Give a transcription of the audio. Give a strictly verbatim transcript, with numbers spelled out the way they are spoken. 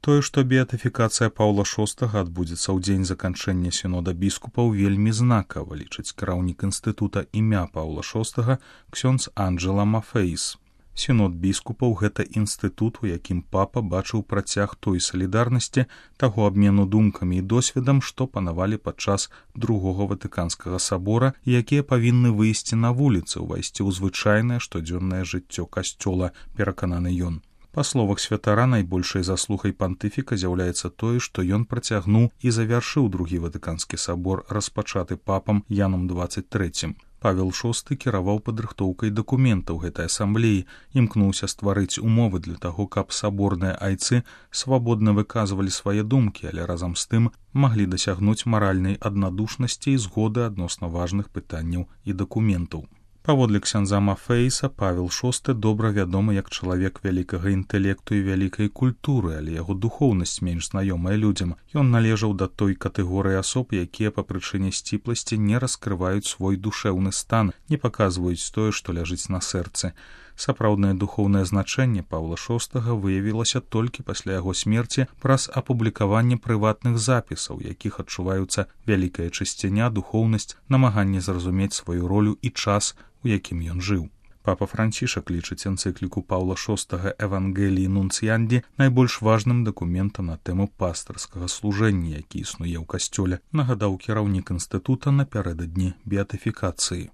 Тое, што беатыфікацыя Паўла шостага адбудзецца ў дзень заканчэння сінода біскупаў, вельмі знакава, лічыць кіраўнік інстытута імя Паўла шостага ксёндз Анджэла Мафейс. Сінод біскупаў – гэта інстытут, у якім папа бачыў працяг той салідарнасці, таго абмену думкамі і досведам, што панавалі падчас другога Ватыканскага сабора, і якія павінны выйсці на вуліцы, увайсці ў звычайнае штодзённае жыццё касцёла, перакананы ён. Па словах святара, найбольшай заслугай пантыфіка з'яўляецца тое, што ён працягнуў і завяршыў другі Ватыканскі сабор, распачаты папам Янам дваццаць трэцім. Павел шосты кіраваў падрыхтоўкай дакументаў гэтай асамблеі, імкнуўся стварыць умовы для таго, каб саборныя айцы свабодна выказвалі свае думкі, але разам з тым маглі дасягнуць маральнай аднадушнасці і згоды адносна важных пытанняў і дакументаў. Паводле ксяндза Мафейса, Павел шосты добра вядомы як чалавек вялікага інтэлекту і вялікай культуры, але яго духоўнасць менш знаёмая людзям. Ён належаў да той катэгорыі асоб, якія па прычыне сціпласці не раскрываюць свой душэўны стан, не паказваюць тое, што ляжыць на сэрцы. Сапраўднае духоўнае значэнне Паўла шостага выявілася толькі пасля яго смерці праз апублікаванне прыватных запісаў, якіх адчуваюцца вялікая чысціня, духоўнасць, намаганне зразумець сваю ролю і час, у якім ён жыў. Папа Францішак лічыць энцыкліку Паўла шостага «Евангеліі Нунціянді» найбольш важным дакументам на тэму пастырскага служэння, які існуе ў касцёле, нагадаў кіраўнік інстытута напярэдадні беатыфікацыі.